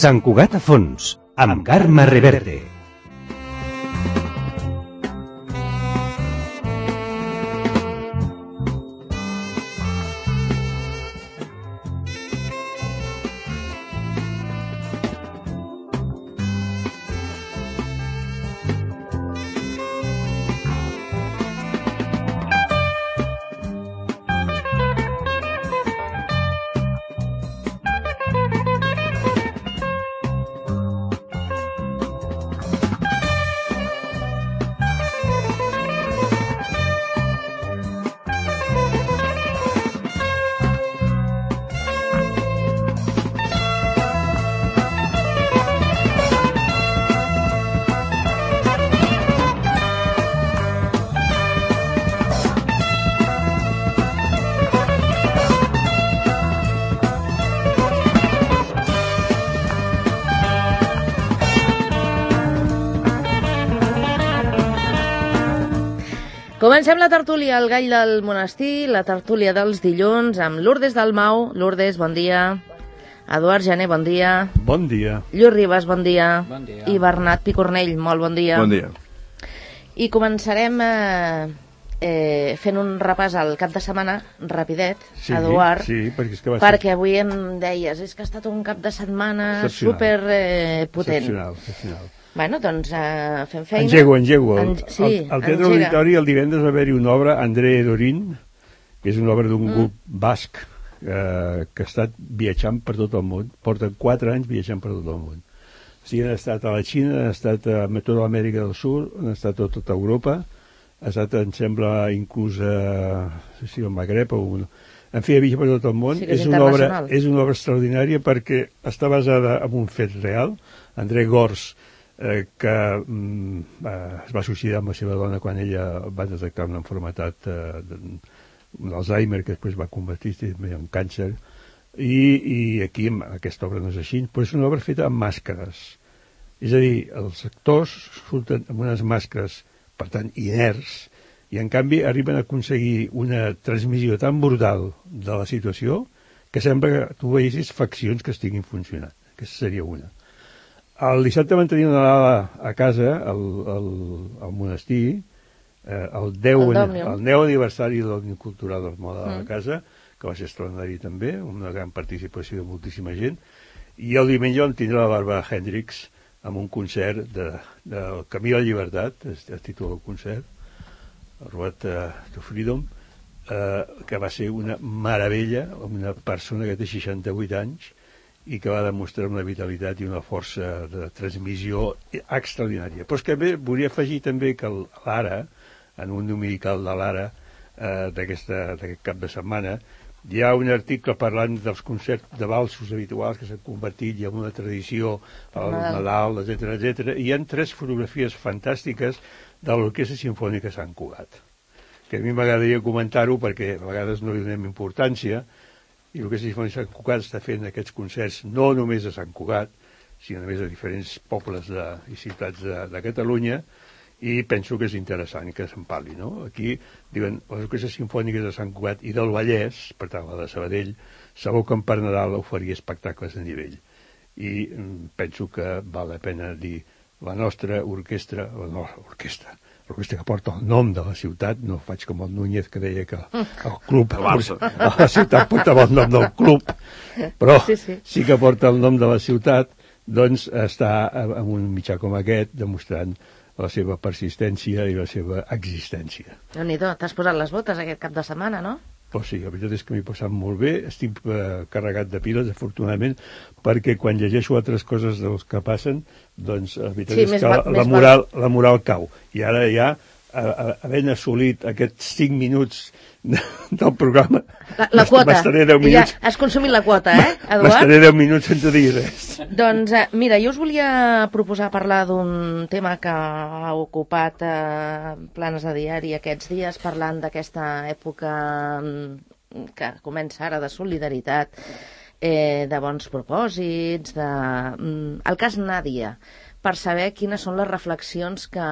Sant Cugat a fons, amb Carme Reverte. Comencem la tertúlia al Gall del Monestir, la tertúlia dels dilluns, amb Lourdes Dalmau. Lourdes, bon dia. Eduard Jané, bon dia. Bon dia. Lluís Ribas, bon dia. Bon dia. I Bernat Picornell, molt bon dia. Bon dia. I començarem fent un repàs al cap de setmana, rapidet, Sí, Eduard, sí, perquè és que va ser perquè avui em deies, és que ha estat un cap de setmana super potent. excepcional. Bueno, doncs fem feina. Engego. Sí, al Teatre Auditori el divendres va haver-hi una obra, André Dorín, que és una obra d'un grup basc que ha estat viatjant per tot el món. Porten 4 anys viatjant per tot el món. O sigui, han estat a la Xina, han estat a tota l'Amèrica del Sud, han estat a tota Europa, ha estat, em sembla, inclús al Magreb o en fi, ha viatjat per tot el món. Sí, és una obra extraordinària perquè està basada en un fet real. André Gors, que es va suïcidar amb la seva dona quan ella va detectar una malaltia d'Alzheimer, que després va convertir-se en càncer, i aquí aquesta obra no és així, però és una obra feta amb màscares, és a dir, els actors surten amb unes màscares, per tant inerts, i en canvi arriben a aconseguir una transmissió tan brutal de la situació que sembla que tu veiessis faccions que estiguin funcionant. Aquesta seria una. El dissabte van tenir una gala a casa, al monestir, el 10 aniversari de l'Òmnium Cultural del Moda de la Casa, que va ser extraordinari també, una gran participació de moltíssima gent, i el diumenge vam tindre la Barbara Hendricks amb un concert del Camí a la Llibertat, es titula el concert, Road to Freedom, que va ser una meravella, una persona que té 68 anys, i que va demostrar una vitalitat i una força de transmissió extraordinària. Però és que bé, volia afegir també que l'Ara, en un dominical de l'Ara d'aquest cap de setmana, hi ha un article parlant dels concerts de valsos habituals que s'han convertit ja en una tradició al Nadal, etc. I hi ha 3 fotografies fantàstiques de l'Orquestra Simfònica Sant Cugat, que a mi m'agradaria comentar-ho perquè a vegades no li donem importància, i l'Orquestra Simfònica Sant Cugat està fent aquests concerts no només a Sant Cugat, sinó només a diferents pobles i ciutats de Catalunya, i penso que és interessant que se'n parli, no? Aquí diuen les orquestres simfòniques de Sant Cugat i del Vallès, per tant la de Sabadell, s'aboquen per Nadal a oferir espectacles de nivell. I penso que val la pena dir la nostra orquestra, l'orquestra que porta el nom de la ciutat, no faig com el Núñez que deia que el club, la ciutat portava el nom del club, però sí que porta el nom de la ciutat, doncs està en un mitjà com aquest demostrant la seva persistència i la seva existència. Déu-n'hi-do, t'has posat les botes aquest cap de setmana, no? Pues sí, la veritat és que m'he passat molt bé, estic carregat de piles, afortunadament, perquè quan llegeixo altres coses dels que passen, doncs la veritat és que la moral cau. I ara ja, havent assolit aquests 5 minuts del programa, la quota. M'estaré 10 minuts. Ja has consumit la quota, Eduard? M'estaré 10 minuts sense dir res. Doncs, mira, jo us volia proposar parlar d'un tema que ha ocupat planes de diari aquests dies, parlant d'aquesta època que comença ara de solidaritat, de bons propòsits, el cas Nàdia, per saber quines són les reflexions que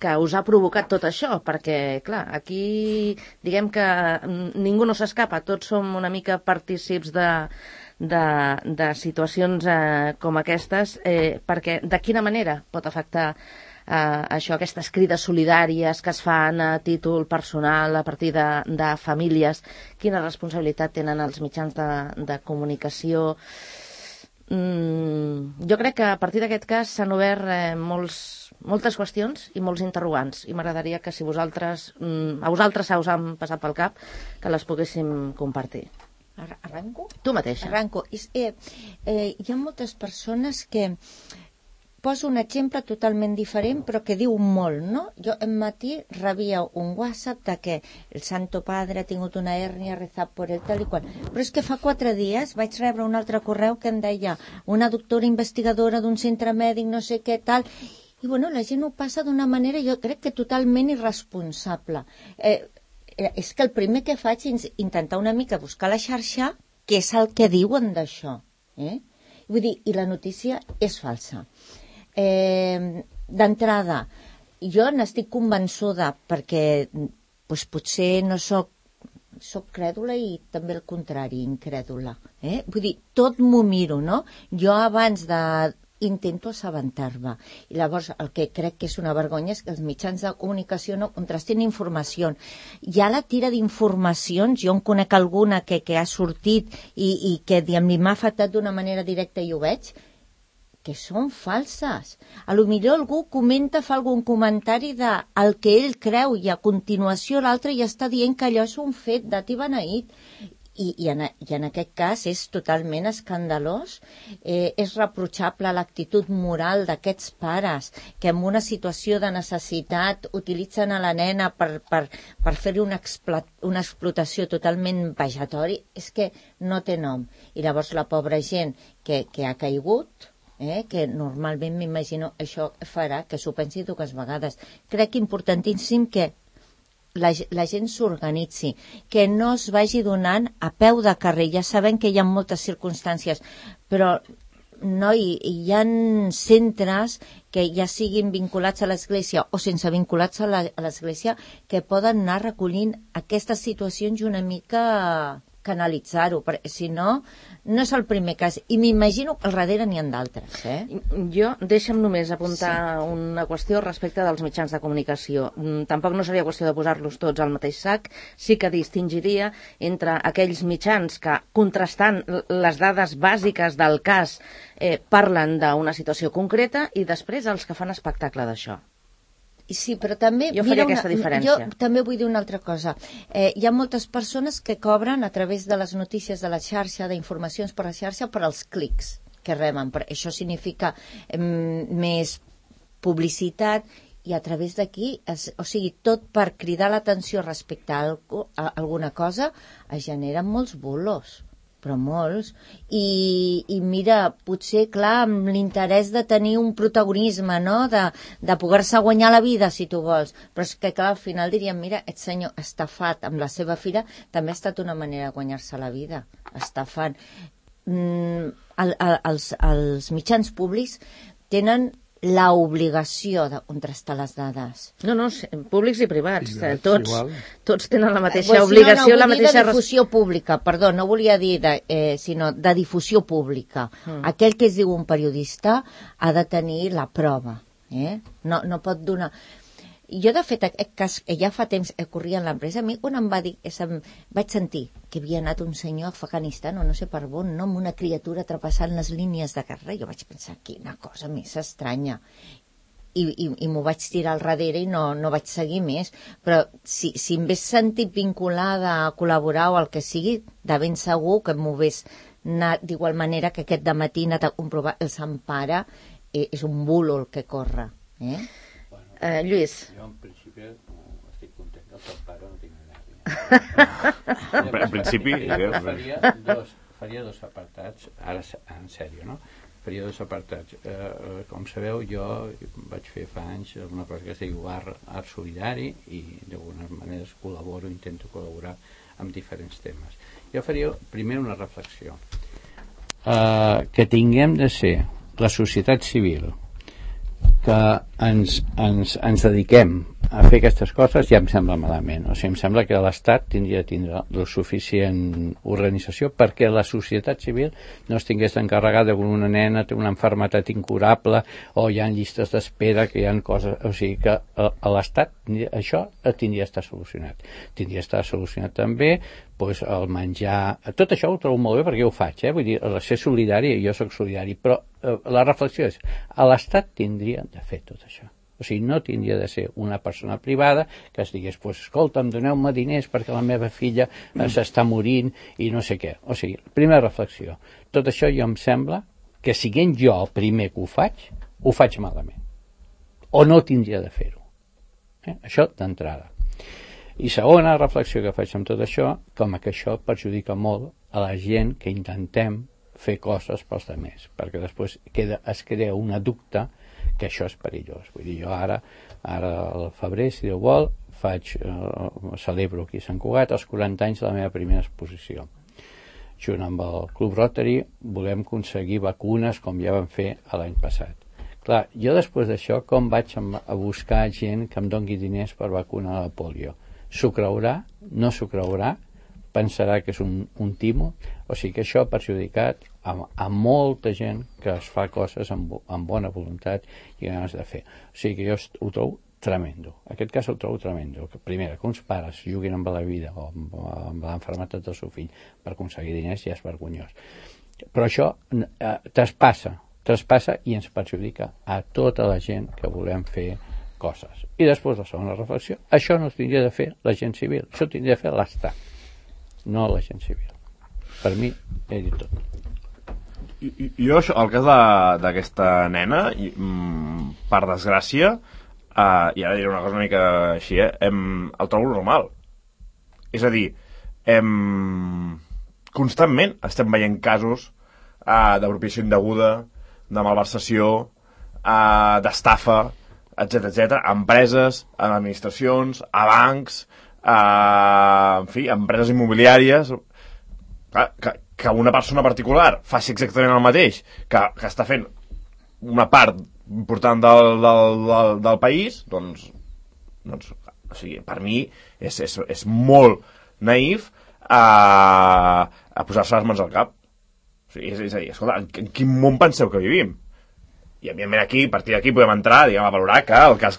us ha provocat tot això, perquè, clar, aquí diguem que ningú no s'escapa, tots som una mica partícips de situacions com aquestes, perquè de quina manera pot afectar això, aquestes crides solidàries que es fan a títol personal a partir de famílies, quina responsabilitat tenen els mitjans de comunicació. Jo crec que a partir d'aquest cas s'han obert moltes qüestions i molts interrogants, i m'agradaria que si a vosaltres us han passat pel cap, que les poguéssim compartir. Arranco? Tu mateixa. Arranco. Hi ha moltes persones que... Poso un exemple totalment diferent, però que diu molt, no? Jo en matí rebia un WhatsApp de que el Santo Padre ha tingut una hèrnia, rezat por el tal i qual. Però és que fa 4 dies vaig rebre un altre correu que em deia una doctora investigadora d'un centre mèdic, no sé què, tal... I, bueno, la gent ho passa d'una manera, jo crec que totalment irresponsable. És que el primer que faig és intentar una mica buscar a la xarxa què és el que diuen d'això. Vull dir, i la notícia és falsa. D'entrada, jo n'estic convençuda perquè potser no soc crèdula i també el contrari, incrèdula. Vull dir, tot m'ho miro, no? Jo abans intento assabentar-me. I llavors el que crec que és una vergonya és que els mitjans de comunicació no contrasten informació. Hi ha la tira d'informacions, jo en conec alguna que ha sortit i que m'ha afectat d'una manera directa i ho veig, que són falses. A lo millor algú fa algun comentari del que ell creu i a continuació l'altre ja està dient que allò és un fet dat i beneït. I en aquest cas és totalment escandalós. És reprotxable l'actitud moral d'aquests pares que en una situació de necessitat utilitzen a la nena per fer-hi una explotació totalment vejatori. És que no té nom. I llavors la pobra gent que ha caigut, que normalment m'imagino això farà que s'ho pensi 2 vegades. Crec importantíssim que la gent s'organitzi, que no es vagi donant a peu de carrer. Ja sabem que hi ha moltes circumstàncies, però no, hi ha centres que ja siguin vinculats a l'Església o sense vinculats a l'Església que poden anar recollint aquestes situacions i una mica canalitzar-ho, perquè si no, no és el primer cas. I m'imagino que al darrere n'hi ha d'altres. Jo, deixa'm només apuntar una qüestió respecte dels mitjans de comunicació. Tampoc no seria qüestió de posar-los tots al mateix sac, sí que distingiria entre aquells mitjans que, contrastant les dades bàsiques del cas, parlen d'una situació concreta, i després els que fan espectacle d'això. Sí, però també... Jo faria aquesta diferència. Jo també vull dir una altra cosa. Hi ha moltes persones que cobren a través de les notícies de la xarxa, d'informacions per la xarxa, per als clics que reben. Això significa més publicitat i a través d'aquí, o sigui, tot per cridar l'atenció respecte a alguna cosa, es generen molts bulos. Però molts, i mira, potser, clar, amb l'interès de tenir un protagonisme, no?, de poder-se guanyar la vida, si tu vols, però és que, clar, al final diríem, mira, aquest senyor estafat amb la seva fira també ha estat una manera de guanyar-se la vida, estafant. Els mitjans públics tenen l'obligació de contrastar les dades. No, públics i privats. Tots tenen la mateixa obligació. No, vull dir de difusió pública, perdó, no volia dir sinó de difusió pública. Aquell que es diu un periodista ha de tenir la prova. No pot donar... Jo, de fet, aquest cas que ja fa temps corria en l'empresa, a mi quan em va dir, vaig sentir que havia anat un senyor a Afganistan, o no sé per on, no, amb una criatura trapassant les línies de carrer. Jo vaig pensar, quina cosa més estranya. I m'ho vaig tirar al darrere i no vaig seguir més. Però si em hagués sentit vinculada a col·laborar o el que sigui, de ben segur que m'ho hagués anat d'igual manera que aquest dematí he anat a comprovar el Sant Pare. És un bulo el que corre. Lluís. Jo, en principi, estic content que el Sant Pare no tingui nervi. En principi... Faria 2 apartats, ara en sèrio, no? Faria 2 apartats. Com sabeu, jo vaig fer fa anys una cosa que es diu Art Solidari i d'algunes maneres intento col·laborar amb diferents temes. Jo faria primer una reflexió. Que tinguem de ser la societat civil, que ens dediquem a fer aquestes coses ja em sembla malament. O sigui, em sembla que l'Estat tindria de tindre la suficient organització perquè la societat civil no es tingués d'encarregar de una nena té una malaltia incurable o hi ha llistes d'espera, que hi ha coses... O sigui que a l'Estat això tindria d'estar solucionat. Tindria d'estar solucionat també pues, el menjar... Tot això ho trobo molt bé perquè ho faig, vull dir, ser solidari, jo sóc solidari, però la reflexió és, l'Estat tindria de fer tot això. O sigui, no tindria de ser una persona privada que es digués, pues, escolta'm, doneu-me diners perquè la meva filla s'està morint i no sé què. O sigui, primera reflexió. Tot això jo em sembla que siguent jo el primer que ho faig malament. O no tindria de fer-ho. Això d'entrada. I segona reflexió que faig amb tot això, com que això perjudica molt a la gent que intentem fer coses pels altres, perquè després es crea una dubte que això és perillós. Vull dir, jo ara al febrer, si Déu vol, celebro aquí a Sant Cugat els 40 anys de la meva primera exposició. Junt amb el Club Rotary volem aconseguir vacunes com ja vam fer l'any passat. Clar, jo després d'això com vaig a buscar gent que em doni diners per vacunar la polio? S'ho creurà? No s'ho creurà? Pensarà que és un timo? O sigui que això ha perjudicat a molta gent que es fa coses amb bona voluntat i ganes de fer. O sigui que jo ho trobo tremendo. Aquest cas ho trobo tremendo. Primera, que uns pares juguin amb la vida o amb l'enfermetat del seu fill per aconseguir diners ja és vergonyós. Però això traspassa i ens perjudica a tota la gent que volem fer coses. I després la segona reflexió, això no es tindria de fer la gent civil, això tindria de fer l'Estat, no la gent civil. Per mi, he dit tot. Jo, el cas d'aquesta nena, per desgràcia, i ara diré una cosa una mica així, el trobo normal. És a dir, constantment estem veient casos d'apropiació indeguda, de malversació, d'estafa, etc, a empreses, a administracions, a bancs, en fi, a empreses immobiliàries, que una persona particular faci exactament el mateix que està fent una part important del país, doncs o sigui, per mi és molt naïf a posar-se les mans al cap. O sigui, és a dir, escolta, en quin món penseu que vivim? I evidentment aquí, a partir d'aquí podem entrar, diguem, a valorar que el cas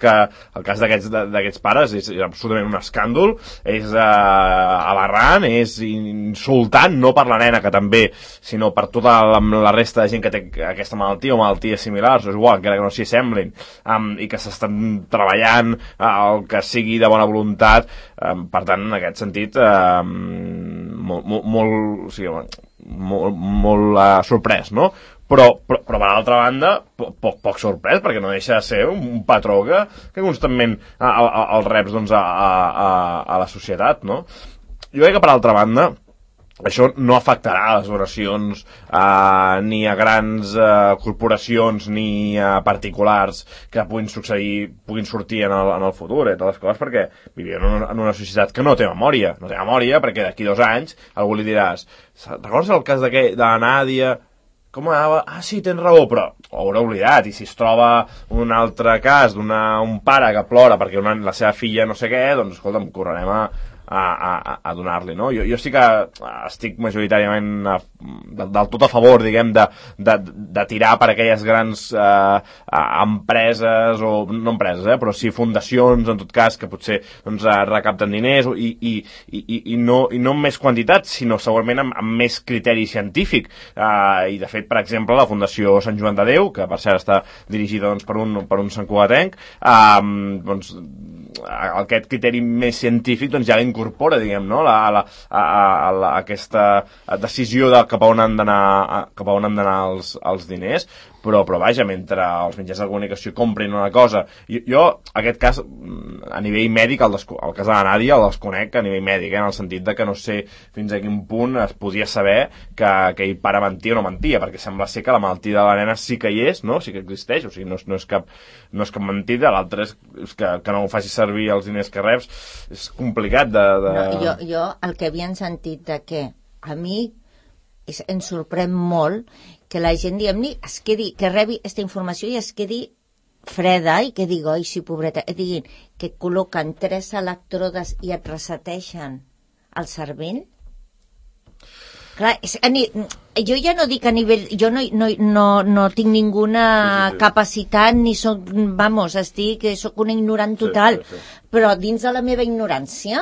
d'aquests pares és absolutament un escàndol, és aberrant, és insultant, no per la nena que també, sinó per tota la resta de gent que té aquesta malaltia o malalties similars, és igual, encara que no s'hi semblin, i que s'estan treballant el que sigui de bona voluntat. Per tant, en aquest sentit, molt sorprès, no? Però per l'altra banda, poc sorprès, perquè no deixa de ser un patró que constantment el reps doncs, a la societat, no? Jo crec que per altra banda això no afectarà les donacions ni a grans corporacions ni a particulars que puguin sortir en el futur, entre les coses, perquè vivim en una societat que no té memòria perquè d'aquí 2 anys algú li diràs, recordes el cas de la Nàdia? Com anava? Ah, sí, tens raó, però ho haurà oblidat. I si es troba un altre cas d'un pare que plora perquè la seva filla no sé què, doncs, escolta'm, correrem a donar-li, no? Jo sí que estic majoritàriament del tot a favor, diguem, de tirar per aquelles grans empreses, o no empreses, però sí fundacions, en tot cas, que potser doncs, recapten diners i no amb més quantitat, sinó segurament amb més criteri científic. I de fet, per exemple, la Fundació Sant Joan de Déu, que per cert està dirigida doncs, per un santcugatenc, doncs aquest criteri més científic doncs, ja l'incorpora, diguem, no? Aquesta decisió de cap a on han d'anar els diners, però vaja, mentre els mitjans de comunicació comprin una cosa, jo aquest cas a nivell mèdic, el cas de la Nàdia el desconec a nivell mèdic, en el sentit de que no sé fins a quin punt es podia saber que aquell pare mentia o no mentia, perquè sembla ser que la malaltia de la nena sí que hi és, no? Sí que existeix, o sigui, no és cap mentida. L'altre és que no ho faci servir els diners que reps, és complicat de... No, jo el que havien sentit de que a mi ens sorprèn molt que la gent, diguem-ne, que rebi aquesta informació i es quedi freda i que digui, oi, sí, pobreta, diguin que col·loquen 3 electrodes i et reseteixen el cervell. Clar, jo ja no dic a nivell... Jo no tinc ninguna capacitat, ni soc... Soc una ignorant total. Però dins de la meva ignorància,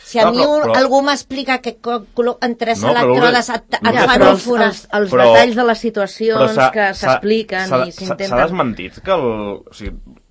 si a mi algú m'explica que en 3 electrodes et fan un forat... Els detalls de les situacions que s'expliquen i s'intenten... S'ha desmentit que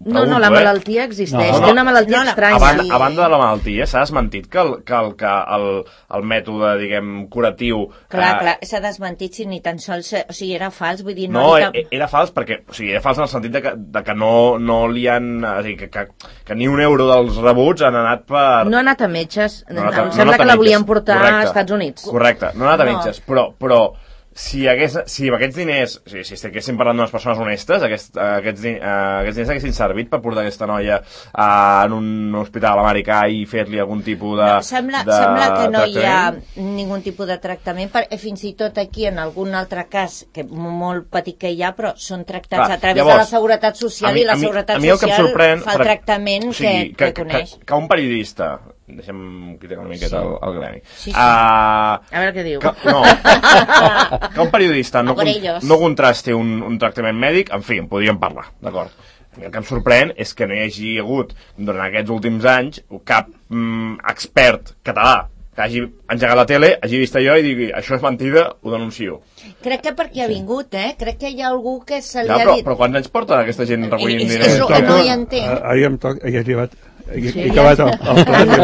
No, la malaltia existeix. Té una malaltia estranya. A banda de la malaltia, s'ha desmentit que el mètode, diguem, curatiu... Clar, s'ha desmentit si ni tan sols... O sigui, era fals, vull dir... No, era fals perquè... O sigui, era fals en el sentit de que no li han... O sigui, que ni un euro dels rebuts han anat per... No ha anat a metges. Em sembla que la volien portar a Estats Units. Correcte, no ha anat a metges, però si amb aquests diners, si estiguéssim parlant d'unes persones honestes, aquests diners haguessin servit per portar aquesta noia en un hospital americà i fer-li algun tipus de sembla que no hi ha ningun tipus de tractament, fins i tot aquí en algun altre cas, que molt petit que hi ha, però són tractats a través de la Seguretat Social i la Seguretat Social fa el tractament que coneix. Que un periodista, deixem criticar una miqueta el gremi. A veure què diu. Que un periodista no contrasti un tractament mèdic, en fi, en podríem parlar, d'acord? El que em sorprèn és que no hi hagi hagut, durant aquests últims anys, cap expert català que hagi engegat la tele, hagi vist allò i digui, això és mentida, ho denuncio. Crec que perquè ha vingut, crec que hi ha algú que se li ha dit... Però quants anys porta aquesta gent recollint diners? És que no hi entenc. Ara ja em toca, ja he arribat... He acabat el plat i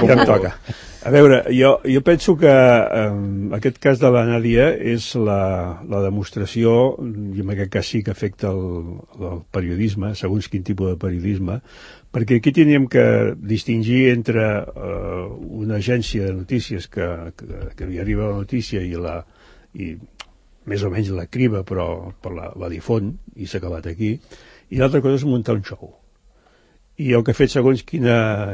ja em toca. A veure, jo penso que aquest cas de la Nàdia és la demostració, i en aquest cas sí que afecta el periodisme, segons quin tipus de periodisme, perquè aquí teníem que distingir entre una agència de notícies que li arriba la notícia i més o menys la criba però la difon i s'ha acabat aquí, i l'altra cosa és muntar un show. I el que ha fet segons quina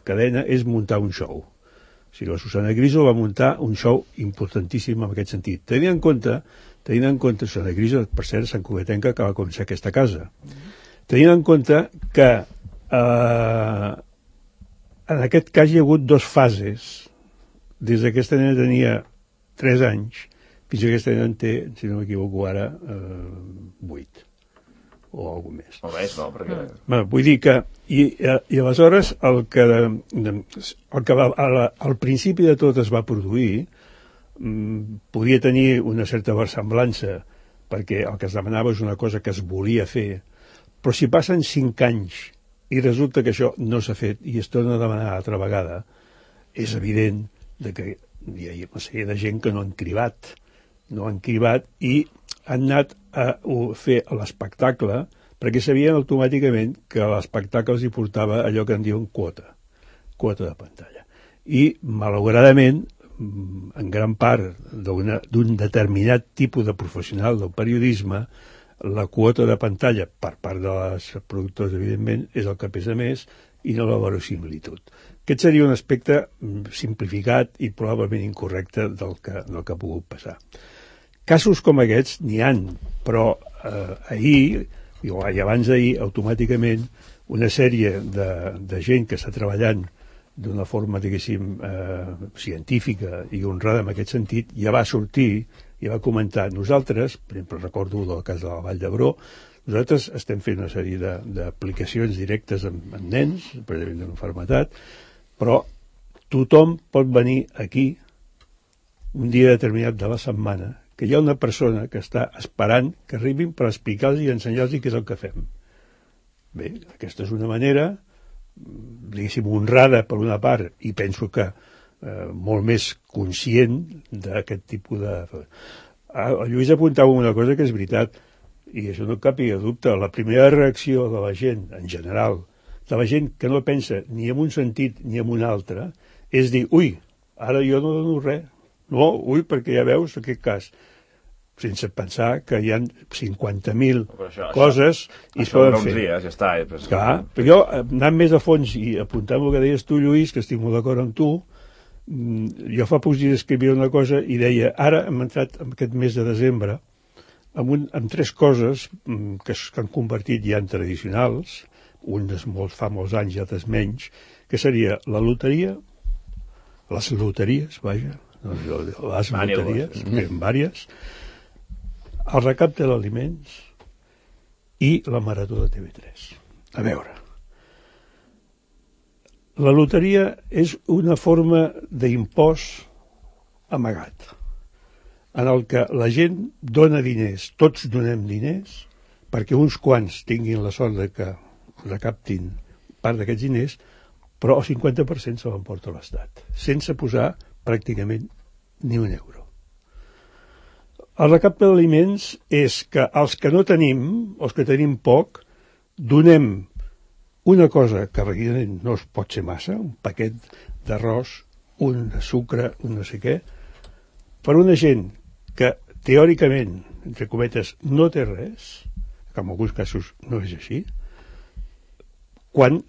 cadena és muntar un show. O sigui, la Susana Griso va muntar un show importantíssim en aquest sentit. Tenint en compte Susana Griso, per cert, santcugatenca, que va començar aquesta casa. Tenint en compte que en aquest cas hi ha hagut 2 fases. Des d'aquesta nena tenia 3 anys, fins que aquesta nena en té, si no m'equivoco ara, 8. O alguna més. O més, no? Perquè... Bueno, vull dir que... I aleshores el que al principi de tot es va produir podia tenir una certa versemblança perquè el que es demanava és una cosa que es volia fer, però si passen 5 anys i resulta que això no s'ha fet i es torna a demanar altra vegada, és evident que hi ha una sèrie de gent que no han cribat i han anat a fer l'espectacle perquè sabien automàticament que l'espectacle els hi portava allò que en diuen quota de pantalla. I, malauradament, en gran part d'un determinat tipus de professional del periodisme, la quota de pantalla, per part de les productors, evidentment, és el que pesa més i no la verosimilitud. Aquest seria un aspecte simplificat i probablement incorrecte del que ha pogut passar. Casos com aquests n'hi han, però ahir, i abans d'ahir, automàticament, una sèrie de gent que està treballant d'una forma, diguéssim, científica i honrada en aquest sentit, ja va sortir i va comentar, nosaltres, per exemple, recordo del cas de la Vall d'Hebron, nosaltres estem fent una sèrie d'aplicacions directes amb nens, per exemple, d'una malaltia, però tothom pot venir aquí un dia determinat de la setmana que hi ha una persona que està esperant que arribin per explicar-los i ensenyar-los què és el que fem. Bé, aquesta és una manera, diguéssim, honrada per una part, i penso que molt més conscient d'aquest tipus de... El Lluís apuntava una cosa que és veritat, i això no cap dubte. La primera reacció de la gent, en general, de la gent que no pensa ni en un sentit ni en un altre, és dir, ui, ara jo no dono res. No, ui, perquè ja veus aquest cas, sense pensar que hi ha 50.000 coses i es poden fer. Dies, ja està. Clar, però jo, anant més a fons i apuntant el que deies tu, Lluís, que estic molt d'acord amb tu, jo fa pocs dies escrivia una cosa i deia, ara hem entrat en aquest mes de desembre, amb tres coses que s'han convertit ja en tradicionals, unes fa molts anys i altres menys, que seria la loteria, les loteries, vaja, les loteries, diverses, el recapte d'aliments i la marató de TV3. A veure, la loteria és una forma d'impost amagat, en el que la gent dona diners, tots donem diners, perquè uns quants tinguin la sort de que recaptin part d'aquests diners, però el 50% se l'emporta l'Estat, sense posar pràcticament ni un euro. El recapte d'aliments és que els que no tenim, els que tenim poc, donem una cosa que realment no es pot ser massa, un paquet d'arròs, un de sucre, un no sé què, per una gent que teòricament, entre cometes, no té res, que en alguns casos no és així, quan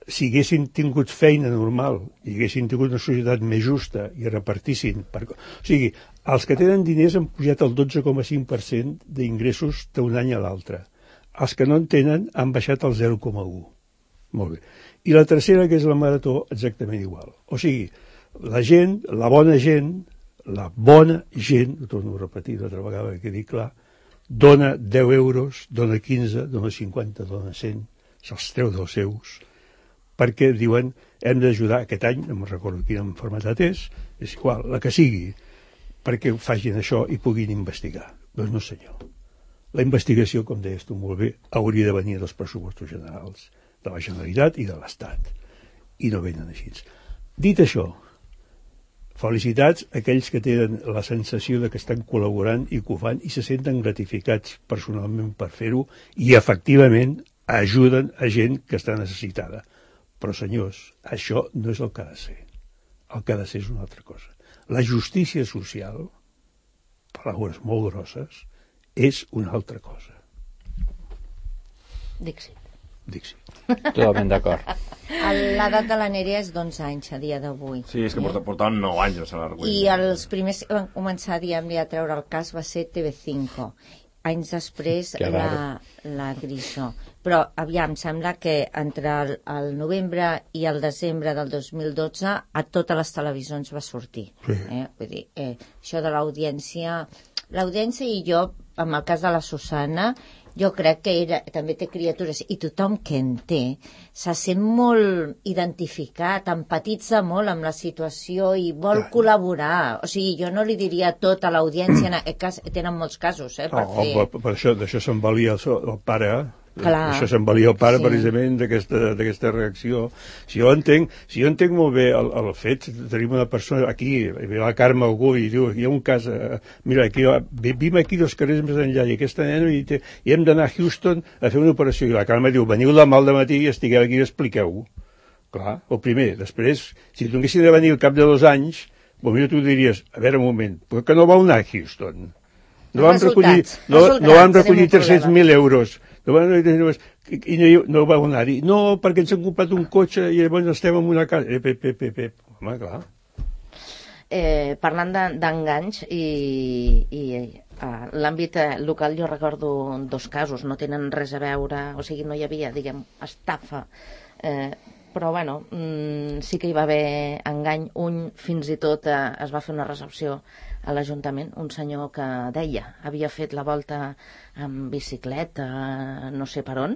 si haguessin tingut feina normal i haguessin tingut una societat més justa i repartissin... O sigui, els que tenen diners han pujat el 12,5% d'ingressos d'un any a l'altre. Els que no en tenen han baixat el 0,1%. Molt bé. I la tercera, que és la marató, exactament igual. O sigui, la gent, la bona gent, ho torno a repetir l'altra vegada que quedi clar, dona 10 euros, dona 15, dona 50, dona 100, se'ls treu dels seus, perquè diuen hem d'ajudar aquest any, no me'n recordo quina malaltia és igual, la que sigui, perquè facin això i puguin investigar. Doncs no, senyor. La investigació, com deies tu molt bé, hauria de venir dels pressupostos generals de la Generalitat i de l'Estat. I no venen així. Dit això, felicitats a aquells que tenen la sensació de que estan col·laborant i que ho fan i se senten gratificats personalment per fer-ho i efectivament ajuden a gent que està necessitada. Però, senyors, això no és el que ha de ser. El que ha de ser és una altra cosa. La justícia social, paraules molt grosses, és una altra cosa. Dixit. Totalment d'acord. L'edat de la Nerea és d'11 anys a dia d'avui. Sí, és que portaven 9 anys a la recull. I els primers que van començar, diguem-li, a treure el cas va ser TV5. Anys després la Grisó. Però, aviam, sembla que entre el novembre i el desembre del 2012 a totes les televisions va sortir. Sí. Vull dir, això de l'audiència i jo, en el cas de la Susana, jo crec que també té criatures i tothom que en té se sent molt identificat, empatitza molt amb la situació i vol col·laborar. O sigui, jo no li diria tot a l'audiència, en aquest cas tenen molts casos, per fer... Per això, d'això se'n valia el pare... Clar. Això se'n valia el pare, sí. Precisament, d'aquesta reacció. Si jo entenc molt bé el fet, tenim una persona aquí, ve la Carme algú i diu, hi ha un cas, mira, aquí, vivim aquí 2 carrers més enllà, i aquesta nena i hem d'anar a Houston a fer una operació, i la Carme diu, veniu demà al dematí i estigueu aquí i expliqueu-ho. Clar, el primer. Després, si tinguessin de venir al cap de 2 anys, potser tu diries, a veure un moment, però que no vau anar a Houston? No vam recollir 300.000 euros. I no vau anar-hi. No, perquè ens han comprat un cotxe i llavors estem en una casa. Home, clar. Parlant d'enganys i l'àmbit local, jo recordo 2 casos, no tenen res a veure, o sigui, no hi havia, diguem, estafa, però bueno, sí que hi va haver engany. Fins i tot es va fer una recepció a l'Ajuntament, un senyor que deia, havia fet la volta amb bicicleta, no sé per on.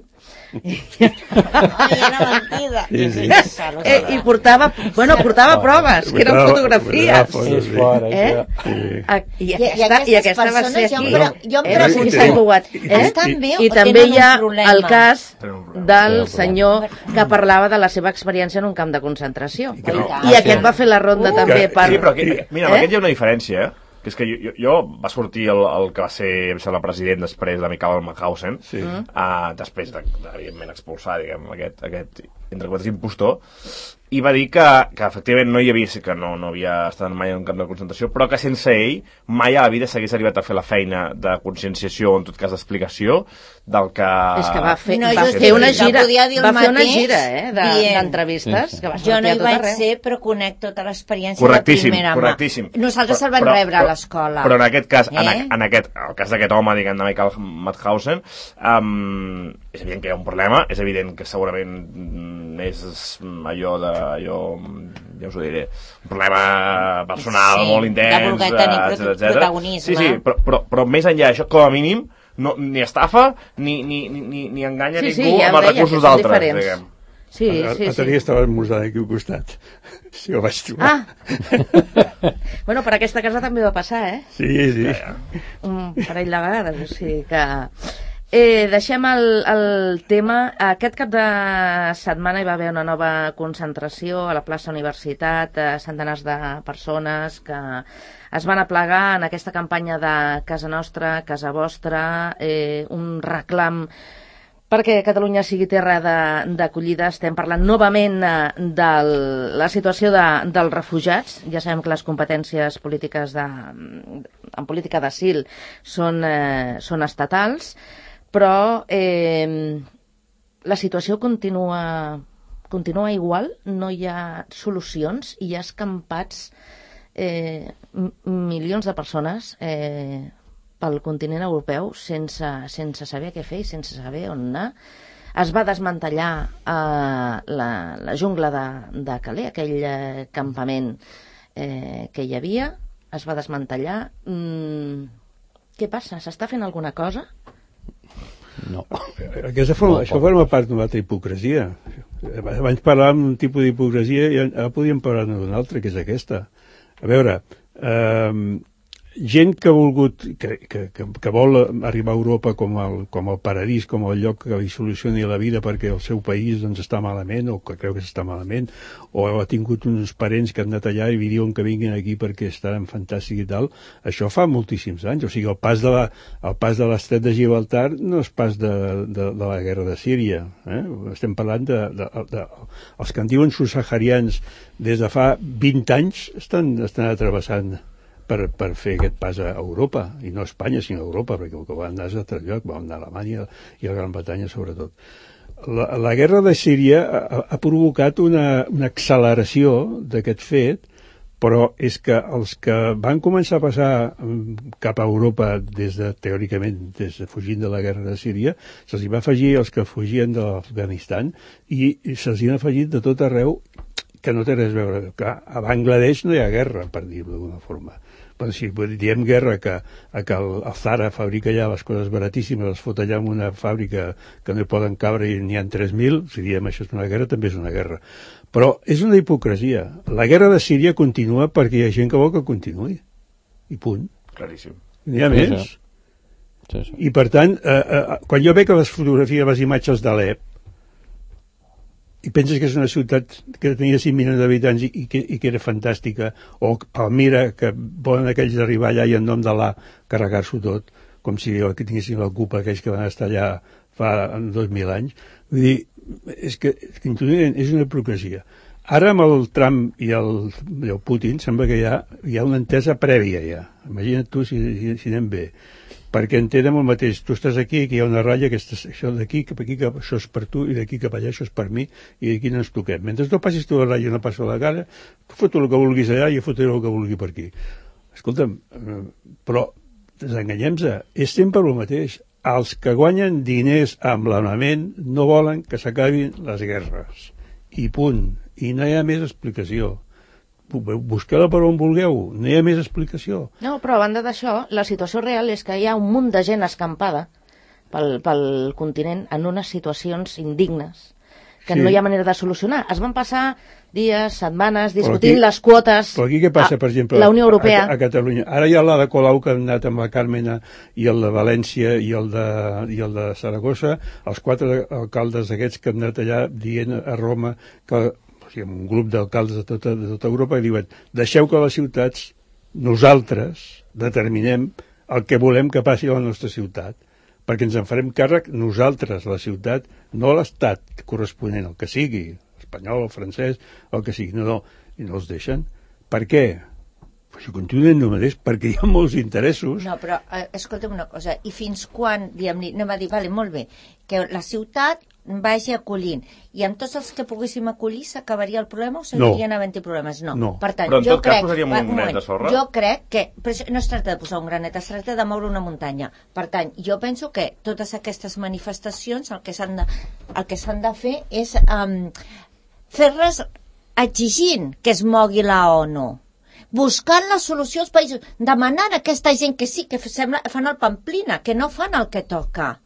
Era mentida. I portava proves, que eren fotografies. I aquesta va ser aquí. I també hi ha el cas del senyor que parlava de la seva experiència en un camp de concentració. I aquest va fer la ronda també per... Sí, però mira, amb aquest hi ha una diferència, que és que jo va sortir el que va ser la president després de Michael Manhausen, després de evidentment expulsar, diguem, aquest entre cometes impostor, i va dir que efectivament no hi havia, que no havia estat mai en un camp de concentració, però que sense ell mai a la vida s'hagués arribat a fer la feina de conscienciació, en tot cas d'explicació, del que... És que va fer No, una jo gira, podia dir el va fer una mateix gira dient, d'entrevistes, que va jo no sortir a hi tot vaig arreu. ser, però conec tota l'experiència de Correctíssim, primera mà. correctíssim. Nosaltres el vam rebre a l'escola. Però en aquest cas, Eh? el cas d'aquest home, diguem, de Michael Mauthausen, és evident que hi ha un problema, és evident que segurament és allò de... ja us ho diré, un problema personal molt intens, de voler tenir protagonisme. Sí, però més enllà d'això, com a mínim, no, ni estafa ni enganya ningú amb els recursos d'altres, diguem. Sí. L'altre dia estava esmorzant aquí al costat. Sí, ho vaig trobar. Bueno, per aquesta casa també va passar, eh? Sí. Un parell de vegades, o sigui que... deixem el tema. Aquest cap de setmana hi va haver una nova concentració a la plaça Universitat, centenars de persones que es van aplegar en aquesta campanya de Casa Nostra, Casa Vostra, un reclam perquè Catalunya sigui terra d'acollida. Estem parlant novament de la situació dels refugiats. Ja sabem que les competències polítiques en política d'asil són estatals, però la situació continua igual, no hi ha solucions, hi ha escampats milions de persones pel continent europeu sense saber què fer i sense saber on anar. Es va desmantellar la jungla de Calais, aquell campament que hi havia, es va desmantellar. Què passa? S'està fent alguna cosa? No. Això forma part d'una altra hipocresia. Abans parlàvem d'un tipus d'hipocresia i ara podíem parlar d'una altra, que és aquesta. A veure, gent que ha volgut, que vol arribar a Europa com el paradís, com el lloc que li solucioni la vida perquè el seu país doncs, està malament, o que creu que està malament, o ha tingut uns parents que han anat allà i li diuen que vinguin aquí perquè estaran fantàstics i tal, això fa moltíssims anys. O sigui, el pas de l'estret de Gibraltar no és pas de la guerra de Síria. Estem parlant els que en diuen subsaharians des de fa 20 anys estan travessant per fer aquest pas a Europa, i no a Espanya, sinó a Europa, perquè el que van anar és a altre lloc, van anar a Alemanya i a Gran Bretanya, sobretot. La guerra de Síria ha provocat una acceleració d'aquest fet, però és que els que van començar a passar cap a Europa teòricament, fugint de la guerra de Síria, se'ls hi va afegir els que fugien de l'Afganistan i se'ls hi han afegit de tot arreu, que no té res a veure. A Bangladesh no hi ha guerra, per dir-ho d'alguna forma. Però si diem guerra que el Zara fabrica allà les coses baratíssimes, les fot allà en una fàbrica que no hi poden cabre i n'hi ha 3.000, si diem això és una guerra, també és una guerra. Però és una hipocresia. La guerra de Síria continua perquè hi ha gent que vol que continuï. I punt. Claríssim. N'hi ha més. Sí. I per tant, quan jo veig les fotografies, les imatges d'Alep, i penses que és una ciutat que tenia 5 milions d'habitants i que era fantàstica, o Palmira, que volen aquells arribar allà i en nom d'Allah carregar-s'ho tot, com si tinguessin la culpa aquells que van estar allà fa 2.000 anys. Vull dir, és que és una hipocresia. Ara amb el Trump i el Putin sembla que hi ha una entesa prèvia ja. Imagina't tu si anem bé. Perquè entenem el mateix, tu estàs aquí hi ha una ratlla, això d'aquí cap aquí, que això és per tu, i d'aquí cap allà això és per mi, i d'aquí no ens toquem. Mentre no passis tu la ratlla i no passo la cara, tu foto el que vulguis allà i jo fotré el que vulgui per aquí. Escolta'm, però desenganyem-se, és sempre el mateix. Els que guanyen diners amb l'armament no volen que s'acabin les guerres. I punt. I no hi ha més explicació. Busqueu-la per on vulgueu, no hi ha més explicació. No, però a banda d'això, la situació real és que hi ha un munt de gent escampada pel continent en unes situacions indignes que no hi ha manera de solucionar. Es van passar dies, setmanes, discutint les quotes però aquí què passa, per exemple, la Unió Europea. A Catalunya. Ara hi ha la de Colau que han anat amb la Càrmena i el de València i el de Saragossa, els 4 alcaldes aquests que han anat allà dient a Roma que un grup d'alcaldes de tota Europa que diuen, deixeu que les ciutats nosaltres determinem el que volem que passi a la nostra ciutat, perquè ens en farem càrrec nosaltres, la ciutat, no l'estat corresponent, el que sigui, espanyol, el francès, el que sigui. No, i no els deixen. Per què? Pues si continuen el mateix, perquè hi ha molts interessos. No, però escolta'm una cosa, i fins quan, diguem-li, anem a dir, vale, molt bé, que la ciutat vagi acollint, i amb tots els que poguéssim acollir s'acabaria el problema o seguirien havent-hi problemes? No. Per tant, però en tot cas posaríem un granet de sorra? Jo crec que, però no es tracta de posar un granet, es tracta de moure una muntanya. Per tant, jo penso que totes aquestes manifestacions el que s'han de fer és fer-les exigint que es mogui la ONU, buscant la solució als països, demanant a aquesta gent que sí, que fan el pamplina, que no fan el que toca.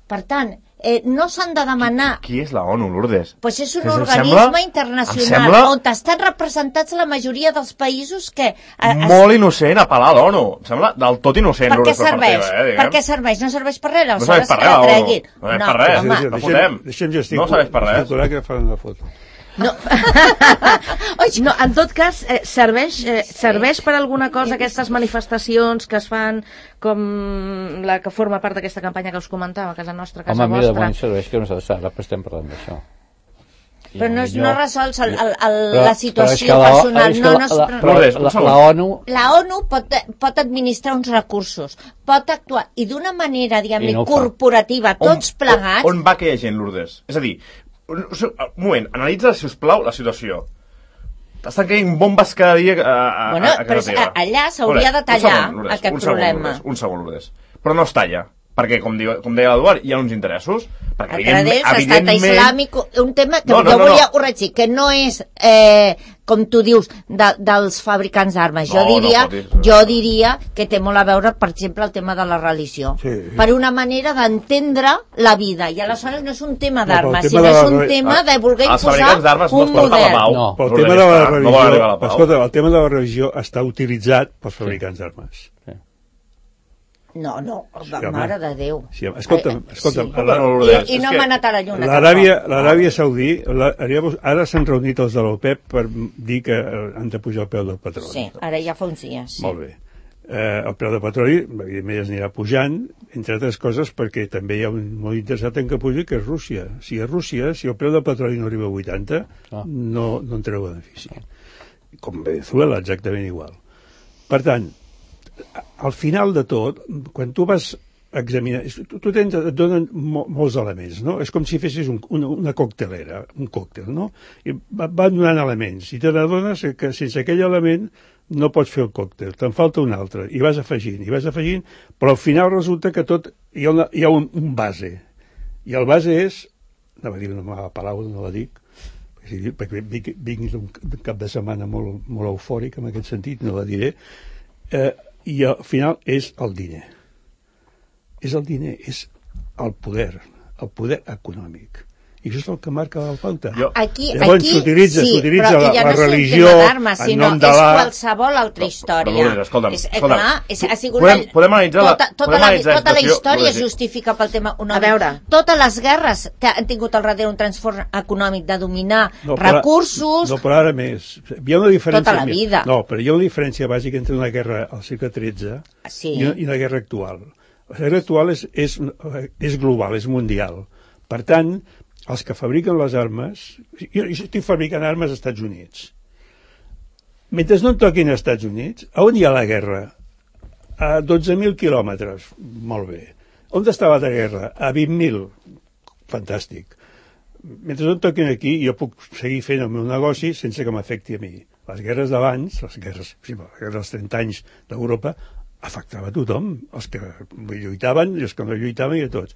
Per tant, no s'han de demanar... Qui és la ONU, Lourdes? Pues és un organisme internacional on estan representats la majoria dels països que... Molt innocent apel·lar a l'ONU. Em sembla del tot innocent, Lourdes, per part teva, Per què serveix? No serveix per res? No serveix per res, l'ONU. No serveix per res, la fotem. No serveix per res. Que fan la foto. No. No, en tot cas, serveix per alguna cosa aquestes manifestacions que es fan, com la que forma part d'aquesta campanya que us comentava, casa nostra, casa vostra? Home, mira, de bon serveix que nosaltres ara estem parlant d'això. Però no resols la situació personal. La ONU pot administrar uns recursos, pot actuar, i d'una manera, diguem-ne, corporativa, tots plegats... On va aquella gent, Lourdes? És a dir, un moment, analitza, si us plau, la situació. Estan caient bombes cada dia a casa teva. Allà s'hauria de tallar aquest problema. Un segon, Lourdes. Però no es talla, perquè, com deia l'Eduard, hi ha uns interessos. Perquè, l'estat islàmic, un tema que jo volia corregir, que no és, com tu dius, dels fabricants d'armes. Jo diria que té molt a veure, per exemple, el tema de la religió. Per una manera d'entendre la vida. I aleshores no és un tema d'armes, sinó és un tema de voler imposar un model. Pel tema de la religió, escolta, el tema de la religió està utilitzat pels fabricants d'armes. No, mare de Déu. Sí, escolta'm. I no m'ha anat a la lluna. L'Aràbia Saudí, ara s'han reunit els de l'OPEP per dir que han de pujar el preu del petroli. Sí, ara ja fa uns dies. Molt bé. El preu del petroli, evidentment, es anirà pujant, entre altres coses, perquè també hi ha un molt interessat en que pugi, que és Rússia. Si el preu del petroli no arriba a 80, no en treu benefici. Com Venezuela, exactament igual. Per tant, al final de tot, quan tu vas examinar, et donen molts elements, no? És com si fessis una coctelera, un còctel, no? I van donant elements, i te n'adones que sense aquell element no pots fer el còctel, te'n falta un altre, i vas afegint, però al final resulta que tot hi ha un base, i el base és, anava a dir una mala paraula, no la dic, perquè vinc d'un cap de setmana molt eufòric en aquest sentit, no la diré, i al final és el diner. És el diner, és el poder econòmic. I això és el que marca la pauta. Llavors s'utilitza la religió en nom de és qualsevol altra història. Podem analitzar tota la història es justifica pel tema econòmic. Totes les guerres han tingut al darrere un transform econòmic de dominar recursos. No, però ara més. Hi ha una diferència. Tota la vida. No, però hi ha una diferència bàsica entre una guerra al segle XIII i una guerra actual. La guerra actual és global, és mundial. Per tant, els que fabriquen les armes... Jo estic fabricant armes als Estats Units. Mentre no en toquin als Estats Units, on hi ha la guerra? A 12.000 quilòmetres. Molt bé. On està la guerra? A 20.000. Fantàstic. Mentre no en toquin aquí, jo puc seguir fent el meu negoci sense que m'afecti a mi. Les guerres d'abans, la guerra dels 30 anys d'Europa, afectava a tothom. Els que lluitaven i els que no lluitaven i a tots.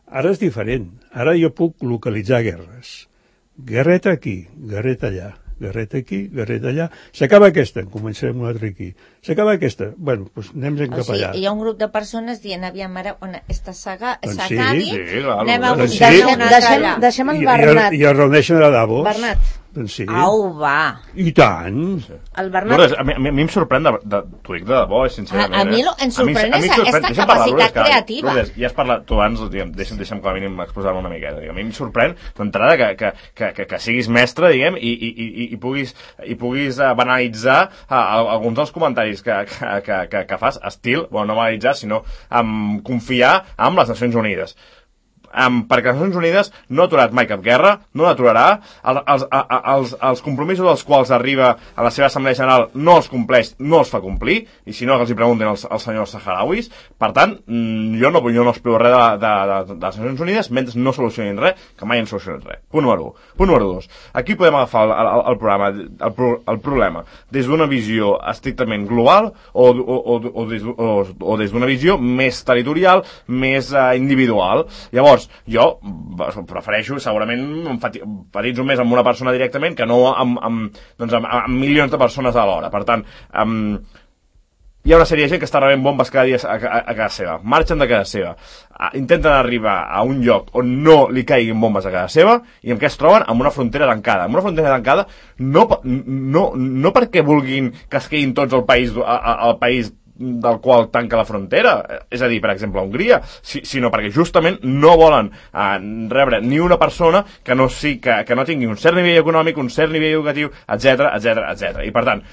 Ara és diferent. Ara jo puc localitzar guerres. Guerreta aquí, guerreta allà. Guerreta aquí, guerreta allà. S'acaba aquesta, en començarem una altra aquí. S'acaba aquesta, bueno, doncs anem cap allà. Hi ha un grup de persones dient, aviam, ara, on aquesta s'acabi, anem a buscar una altra allà. Deixem el Bernat. I es reuneixen a Davos. Bernat. Doncs sí. Au, va. I tant. El Bernat... Lourdes, a mi em sorprèn, t'ho dic de debò, sincerament. A mi em sorprèn aquesta capacitat creativa. Lourdes, ja has parlat, tu abans, deixa'm com a mínim exposar-me una miqueta. A mi em sorprèn d'entrada que siguis mestre, diguem, i puguis banalitzar alguns dels comentaris que fas, estil, bueno, no banalitzar, sinó confiar en les Nacions Unides. perquè les Nacions Unides no ha aturat mai cap guerra, no l'aturarà, els compromisos als quals arriba a la seva Assemblea General no els compleix, no els fa complir, i si no que els hi preguntin als senyors saharauis. Per tant, jo no espero res de les Nacions Unides mentre no solucionin res, que mai han solucionat res. Punt número 1. Punt número 2. Aquí podem agafar el problema des d'una visió estrictament global o des d'una visió més territorial, més individual. Llavors, jo prefereixo segurament enfatitzar més amb una persona directament que no amb milions de persones a l'hora. Per tant, hi ha una sèrie de gent que està rebent bombes cada dia a casa seva, marxen de casa seva, intenten arribar a un lloc on no li caiguin bombes a casa seva, i amb què es troben? Amb una frontera tancada. Amb una frontera tancada no perquè vulguin que es quedin tots al país del qual tanca la frontera, és a dir, per exemple, a Hongria, sinó perquè justament no volen rebre ni una persona que no tingui un cert nivell econòmic, un cert nivell educatiu, etc. I per tant,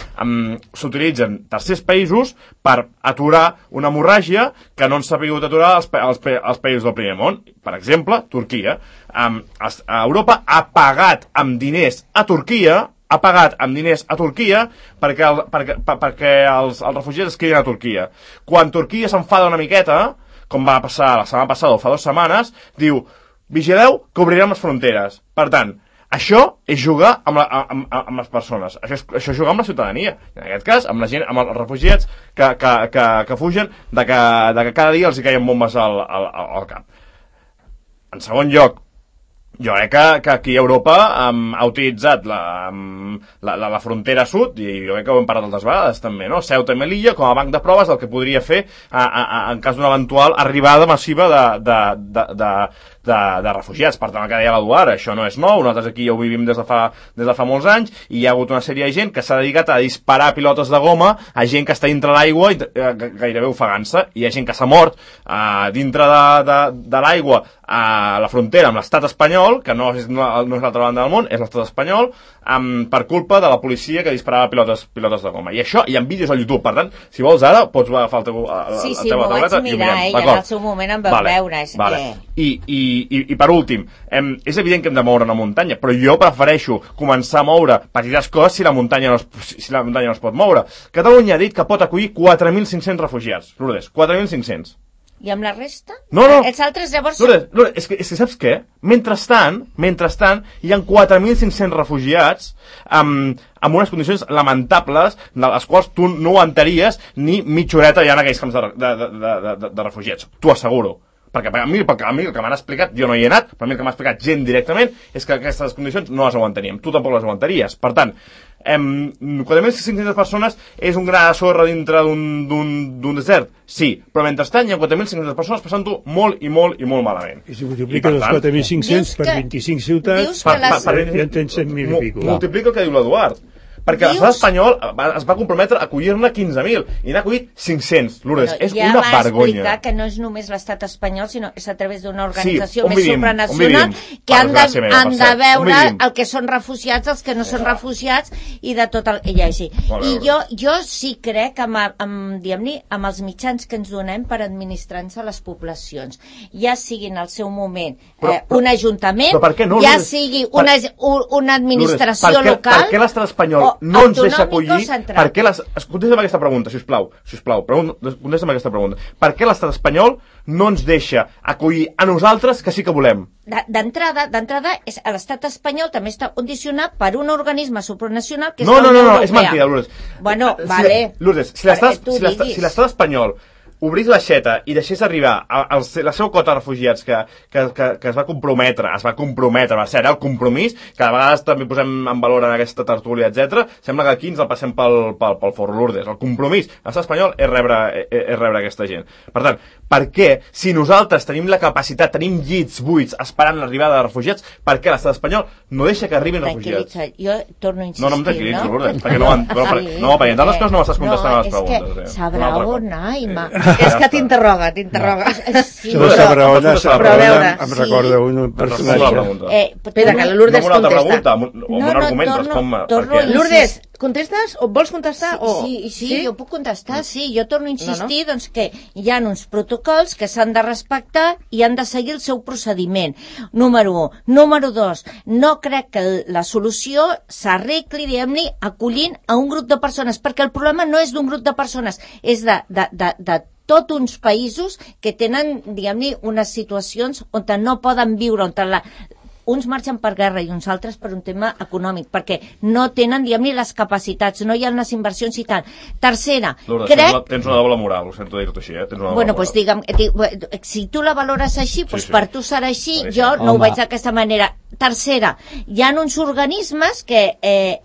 s'utilitzen tercers països per aturar una hemorràgia que no han sabut aturar els països del primer món. Per exemple, Turquia. Europa ha pagat amb diners a Turquia perquè els refugiats es quedin a Turquia. Quan Turquia s'enfada una miqueta, com va passar la setmana passada o fa 2 setmanes, diu, vigileu que obrirem les fronteres. Per tant, això és jugar amb les persones, això és jugar amb la ciutadania, en aquest cas amb la gent, amb els refugiats que fugen de que cada dia els hi caien bombes al cap. En segon lloc, jo crec que aquí a Europa ha utilitzat la frontera sud, i jo crec que ho hem parlat altres vegades també, no? Ceuta i Melilla com a banc de proves del que podria fer en cas d'una eventual arribada massiva de refugiats. Per tant, el que deia l'Eduard, això no és nou, nosaltres aquí ja ho vivim des de fa molts anys, i hi ha hagut una sèrie de gent que s'ha dedicat a disparar pilotes de goma a gent que està dintre l'aigua gairebé ofegant-se, i hi ha gent que s'ha mort dintre de l'aigua a la frontera amb l'estat espanyol, que no és l'altra banda del món, és l'estat espanyol, per culpa de la policia que disparava pilotes de goma. I això hi ha vídeos al YouTube. Per tant, si vols ara, pots agafar la teva tauleta i ho mirem. I en el seu moment em vau veure. I per últim, és evident que hem de moure una muntanya, però jo prefereixo començar a moure petites coses si la muntanya no es pot moure. Catalunya ha dit que pot acollir 4.500 refugiats. Lourdes, 4.500. I amb la resta? No. Els altres llavors... Lourdes, és que saps què? Mentrestant, hi ha 4.500 refugiats amb unes condicions lamentables, de les quals tu no aguantaries ni mitja horeta ja en aquells camps de refugiats. T'ho asseguro. Perquè a mi el que m'han explicat, jo no hi he anat, però a mi el que m'ha explicat gent directament és que aquestes condicions no les aguantaríem. Tu tampoc les aguantaries. Per tant, 4.500 persones és un gra de sorra dintre d'un desert? Sí, però mentrestant hi ha 4.500 persones passant-ho molt i molt i molt malament. I si multipliques els 4.500 per 25 ciutats, ja en tens 100.000 i pico. Multiplica el que diu l'Eduard. Perquè l'estat espanyol es va comprometre a acollir-ne 15.000 i n'ha acollit 500. Lourdes, és una vergonya. Ja va explicar que no és només l'estat espanyol, sinó és a través d'una organització més supranacional que han de veure el que són refugiats, els que no són refugiats i de tot el que hi hagi. I jo sí crec amb els mitjans que ens donem per administrar-nos a les poblacions, ja siguin al seu moment un ajuntament, ja sigui una administració local. Per què l'estat espanyol no ens deixa acollir? Contesta'm aquesta pregunta, sisplau. Contesta'm aquesta pregunta. Per què l'estat espanyol no ens deixa acollir a nosaltres que sí que volem? D'entrada, a l'estat espanyol també està condicionat per un organisme supranacional que és la Unió Europea. No, és mentida, Lourdes. Bueno, vale. Lourdes, si l'estat espanyol obrís l'aixeta i deixés arribar la seva quota de refugiats que es va comprometre, va ser el compromís, que a vegades també posem en valor en aquesta tertúlia, etc. Sembla que aquí ens el passem pel forro, Lourdes. El compromís de l'estat espanyol és rebre aquesta gent. Per tant, per què, si nosaltres tenim la capacitat, tenim llits buits esperant l'arribada de refugiats, per què l'estat espanyol no deixa que arribin refugiats? Jo torno a insistir, no em tranquil·litzo, Lourdes, perquè perquè en tantes coses no m'estàs contestant a les preguntes. És que sabrà on, Aima. És que t'interroga. Sí, però em recorda un personatge. Espera, que la Lourdes contesta. Un argument, respon-me. Lourdes, Contestes? O vols contestar? Sí, jo puc contestar, sí. Jo torno a insistir doncs, que hi ha uns protocols que s'han de respectar i han de seguir el seu procediment. Número 1. Número 2. No crec que la solució s'arregli, diguem-li, acollint a un grup de persones, perquè el problema no és d'un grup de persones, és de tots uns països que tenen, diguem-ne, unes situacions on no poden viure, on uns marxen per guerra i uns altres per un tema econòmic, perquè no tenen, diguem-ne, les capacitats, no hi ha les inversions i tal. Tercera, Lourdes, tens una doble moral, ho sento dir-t'ho així, Tens una doble moral. Doncs digue'm, si tu la valores així, doncs per tu serà així, jo no ho veig d'aquesta manera. Tercera, hi ha uns organismes que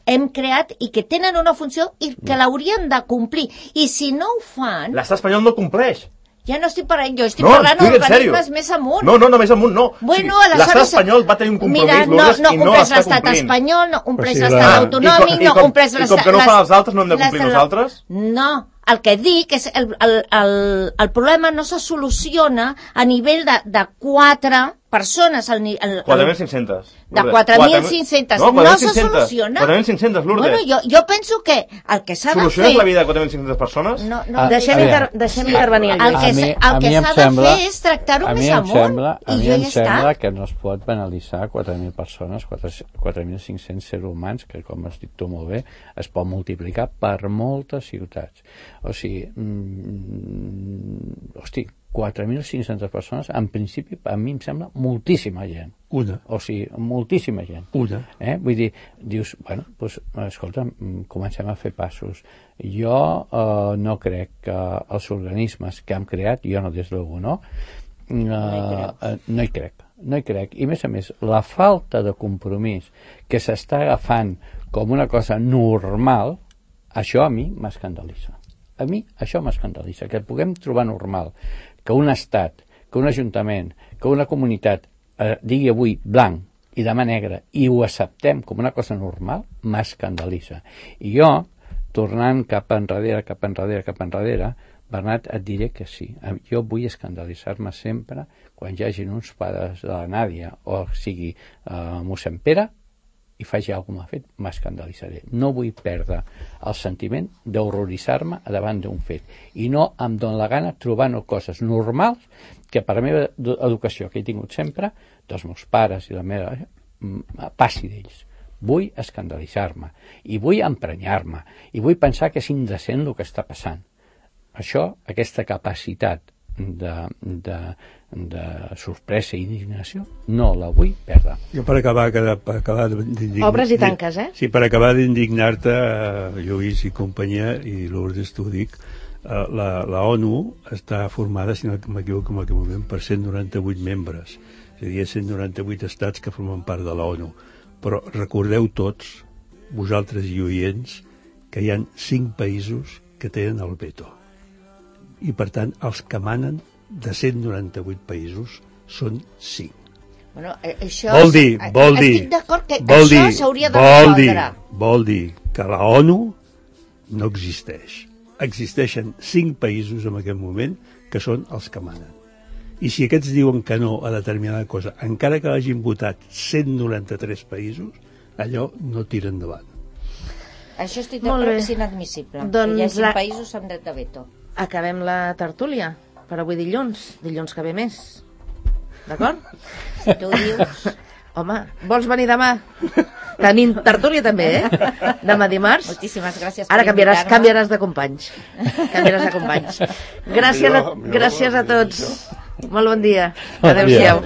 hem creat i que tenen una funció i que l'haurien de complir. I si no ho fan... L'estat espanyol no compleix. Ja no estic parlant, jo estic parlant d'organismes més amunt. No, més amunt no. Bueno, l'estat espanyol va tenir un compromís, Lourdes, i no l'està l'estat complint. espanyol, no compleix l'estat autonòmic, no compleix l'estat... I com que no fan els altres, no hem de complir nosaltres? No, el que dic és el problema no se soluciona a nivell de 4 persones. 4.500. De 4.500. No se soluciona. 4.500, Lourdes. Bueno, jo penso que el que s'ha de fer... Soluciones la vida de 4.500 persones? No, deixem intervenir el Lluís. El que s'ha de fer és tractar-ho més amunt. A mi em sembla que no es pot banalitzar 4.000 persones, 4.500 ser humans, que com has dit tu molt bé, es pot multiplicar per moltes ciutats. O sigui, 4.500 persones, en principi, a mi em sembla moltíssima gent. O sigui, moltíssima gent. Vull dir, dius, bueno, doncs, escolta, comencem a fer passos. Jo no crec que els organismes que hem creat, jo no, des d'algú, no hi crec. I, a més, la falta de compromís que s'està agafant com una cosa normal, això a mi m'escandalitza. A mi això m'escandalitza, que puguem trobar normal que un estat, que un ajuntament, que una comunitat digui avui blanc i demà negre i ho acceptem com una cosa normal, m'escandalitza. I jo, tornant cap enrere, Bernat, et diré que sí. Jo vull escandalitzar-me sempre quan hi hagin uns pares de la Nàdia o sigui mossèn Pere i faci alguna cosa fet, m'escandalitzaré. No vull perdre el sentiment d'horroritzar-me davant d'un fet. I no em dóna la gana trobant coses normals que per la meva educació que he tingut sempre, dels meus pares i la meva... passi d'ells. Vull escandalitzar-me i vull emprenyar-me i vull pensar que és indecent el que està passant. Això, aquesta capacitat de sorpresa i indignació, no la vull perdre. Jo per acabar d'indignar... Obres i tanques, Sí, per acabar d'indignar-te, Lluís i companyia, i Lourdes t'ho dic, la ONU està formada, si no m'equivoco en aquell moment, per 198 membres. És a dir, 198 estats que formen part de la ONU. Però recordeu tots, vosaltres i oients, que hi ha 5 països que tenen el veto. I, per tant, els que manen de 198 països són 5. Bueno, això... Vol dir... Estic d'acord que això s'hauria de resoldre. Vol dir que la ONU no existeix. Existeixen 5 països en aquest moment que són els que manen. I si aquests diuen que no a determinada cosa, encara que l'hagin votat 193 països, allò no tira endavant. Això estic d'acord que és inadmissible. Que hi hagi països amb dret de veto. Acabem la tertúlia per avui dilluns que ve més. D'acord? Si tu dius... Home, vols venir demà? Tenim tertúlia també, Demà dimarts. Moltíssimes gràcies per invitar-me. Ara canviaràs de companys. Gràcies a tots. Molt bon dia. Adéu-siau.